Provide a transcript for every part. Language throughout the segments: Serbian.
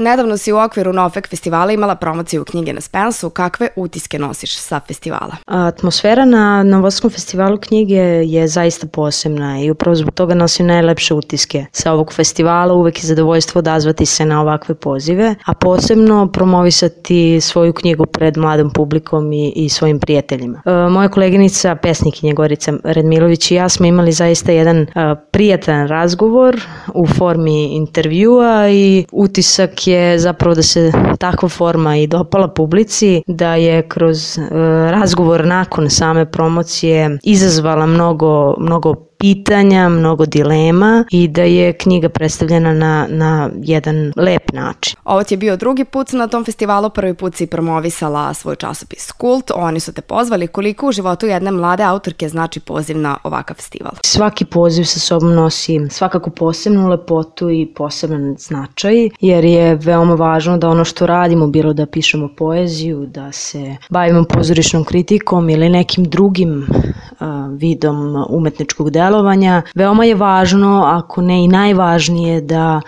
Nedavno si u okviru Nofek festivala imala promociju knjige na Spensu. Kakve utiske nosiš sa festivala? Atmosfera na Novosadskom festivalu knjige je zaista posebna i upravo zbog toga nosim najlepše utiske sa ovog festivala. Uvek je zadovoljstvo odazvati se na ovakve pozive, a posebno promovisati svoju knjigu pred mladom publikom i svojim prijateljima. Moja koleginica, pesnikinja Gorica Redmilović i ja smo imali zaista jedan prijatan razgovor u formi intervjua i utisak je zapravo da se takva forma i dopala publici, da je kroz razgovor nakon same promocije izazvala mnogo pitanja, mnogo dilema i da je knjiga predstavljena na jedan lep način. Ovo ti je bio drugi put na tom festivalu, prvi put si promovisala svoj časopis Kult, oni su te pozvali. Koliko u životu jedne mlade autorke znači poziv na ovakav festival? Svaki poziv sa sobom nosi svakako posebnu lepotu i poseban značaj, jer je veoma važno da ono što radimo, bilo da pišemo poeziju, da se bavimo pozorišnom kritikom ili nekim drugim vidom umetničkog delovanja, veoma je važno, ako ne i najvažnije,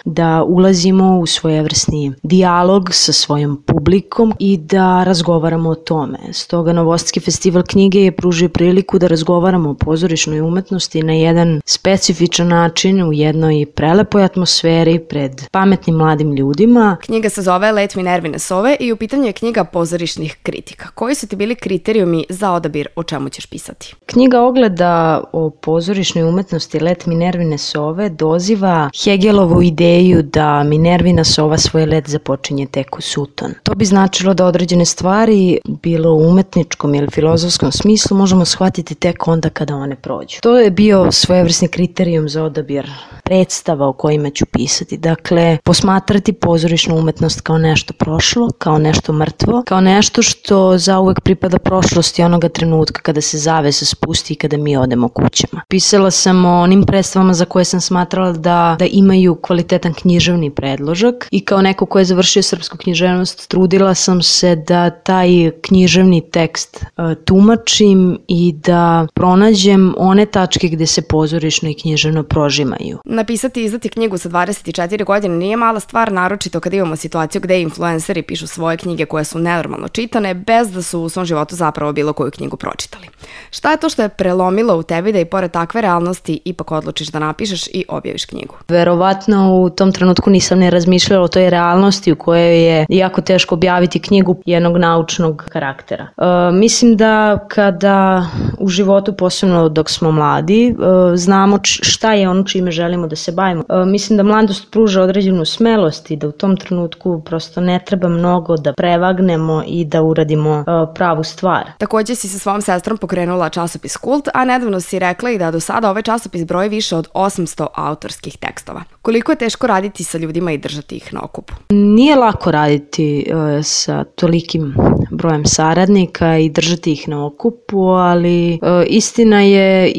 da ulazimo u svojevrsni dijalog sa svojom publikom i da razgovaramo o tome. Stoga Novosadski festival knjige je pružio priliku da razgovaramo o pozorišnoj umetnosti na jedan specifičan način, u jednoj prelepoj atmosferi pred pametnim mladim ljudima. Knjiga se zove Let Minervine sove i u pitanju je knjiga pozorišnih kritika. Koji su ti bili kriterijumi za odabir o čemu ćeš pisati? Knjiga Ogleda o pozorišnoj umetnosti Let Minervine sove doziva Hegelovu ideju da Minervina sova svoj let započinje tek u suton. To bi značilo da određene stvari, bilo u umetničkom ili filozofskom smislu, možemo shvatiti tek onda kada one prođu. To je bio svojevrsni kriterijum za odabir predstava o kojima ću pisati. Dakle, posmatrati pozorišnu umetnost kao nešto prošlo, kao nešto mrtvo, kao nešto što zauvek pripada prošlosti onoga trenutka kada se zavesa spusti i kada mi odemo kućama. Pisala sam o onim predstavama za koje sam smatrala da imaju kvalitetan književni predložak i kao neko ko je završio srpsku književnost trudila sam se da taj književni tekst tumačim i da pronađem one tačke gde se pozorišno i književno prožimaju. Napisati i izdati knjigu sa 24 godine nije mala stvar, naročito kada imamo situaciju gde influenceri pišu svoje knjige koje su nenormalno čitane bez da su u svom životu zapravo bilo koju knjigu pročitali. Šta je to što je prelomilo u tebi da i pored takve realnosti ipak odlučiš da napišeš i objaviš knjigu? Verovatno u tom trenutku nisam ne razmišljala o toj realnosti u kojoj je jako teško objaviti knjigu jednog naučnog karaktera. Mislim da kada u životu, posebno dok smo mladi, znamo šta je ono čime želimo da se bavimo. Mislim da mladost pruža određenu smelost i da u tom trenutku prosto ne treba mnogo da prevagnemo i da uradimo pravu stvar. Takođe si sa svojom sestrom pokrenula časopis Kult, a nedavno si rekla i da do sada ovaj časopis broji više od 800 autorskih tekstova. Koliko je teško raditi sa ljudima i držati ih na okupu? Nije lako raditi sa tolikim brojem saradnika i držati ih na okupu, ali istina je,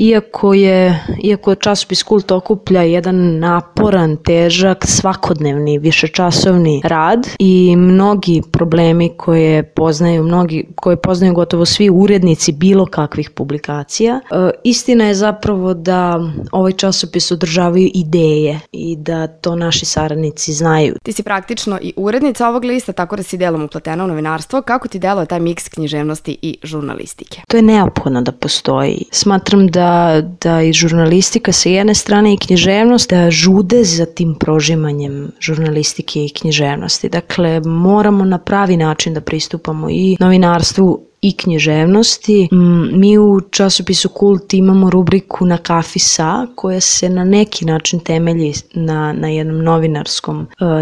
iako časopis Kult okuplja jedan naporan, težak, svakodnevni, višečasovni rad i mnogi problemi koje poznaju gotovo svi urednici bilo kakvih publikacija, istina je zapravo da ovaj časopis održavaju ideje i da to naši saradnici znaju. Ti si praktično i urednica ovog lista, tako da si delom upletena u novinarstvo. Kako ti deluje taj miks književnosti i žurnalistike? To je neophodno da postoji. Smatram da i žurnalistika sa jedne strane i književnost da žude za tim prožimanjem žurnalistike i književnosti. Dakle, moramo na pravi način da pristupamo i novinarstvu i književnosti. Mi u časopisu Kult imamo rubriku Na kafi sa, koja se na neki način temelji na jednom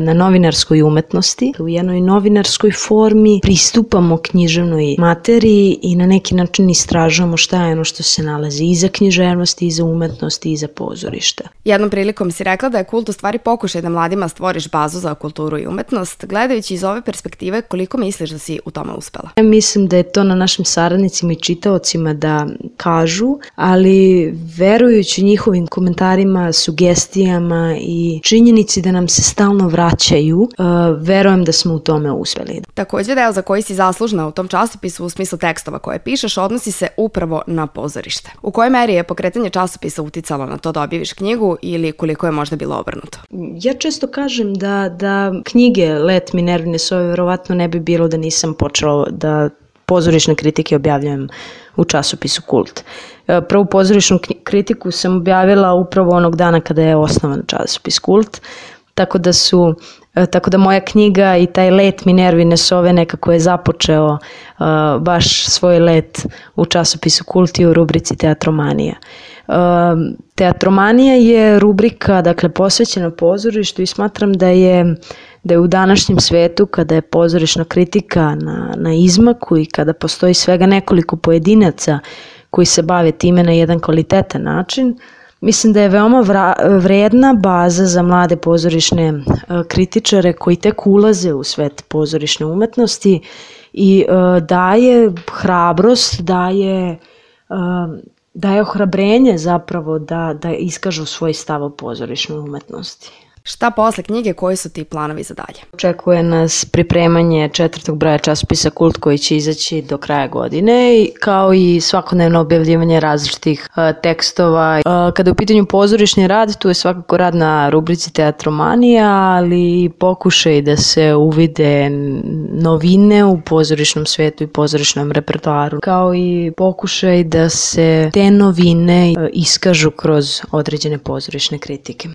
na novinarskoj umetnosti. U jednoj novinarskoj formi pristupamo književnoj materiji i na neki način istražujemo šta je ono što se nalazi iza književnosti, iza umetnosti i iza pozorišta. Jednom prilikom si rekla da je Kult u stvari pokušaj da mladima stvoriš bazu za kulturu i umetnost. Gledajući iz ove perspektive, koliko misliš da si u tome uspela? Mislim da je to na našim saradnicima i čitaocima da kažu, ali verujući njihovim komentarima, sugestijama i činjenici da nam se stalno vraćaju, verujem da smo u tome uspeli. Takođe, deo za koji si zaslužna u tom časopisu u smislu tekstova koje pišeš odnosi se upravo na pozorište. U kojoj meri je pokretanje časopisa uticalo na to da objaviš knjigu ili koliko je možda bilo obrnuto? Ja često kažem da knjige Let Minervine sove verovatno ne bi bilo da nisam počela da pozorišne kritike objavljujem u časopisu Kult. Prvu pozorišnu kritiku sam objavila upravo onog dana kada je osnovan časopis Kult, tako da moja knjiga i taj let Minervine sove nekako je započeo baš svoj let u časopisu Kult i u rubrici Teatromanija. Teatromanija je rubrika, dakle, posvećena pozorištu i smatram da je u današnjem svetu, kada je pozorišna kritika na izmaku i kada postoji svega nekoliko pojedinaca koji se bave time na jedan kvalitetan način, mislim da je veoma vredna baza za mlade pozorišne kritičare koji tek ulaze u svet pozorišne umetnosti i daje hrabrost, daje ohrabrenje zapravo da iskažu svoj stav o pozorišnoj umetnosti. Šta posle knjige, koji su ti planovi za dalje? Očekuje nas pripremanje 4. broja časopisa Kult koji će izaći do kraja godine, kao i svakodnevno objavljivanje različitih tekstova. Kada je u pitanju pozorišni rad, tu je svakako rad na rubrici Teatromanija, ali pokušaj da se uvide novine u pozorišnom svetu i pozorišnom repertoaru, kao i pokušaj da se te novine iskažu kroz određene pozorišne kritike.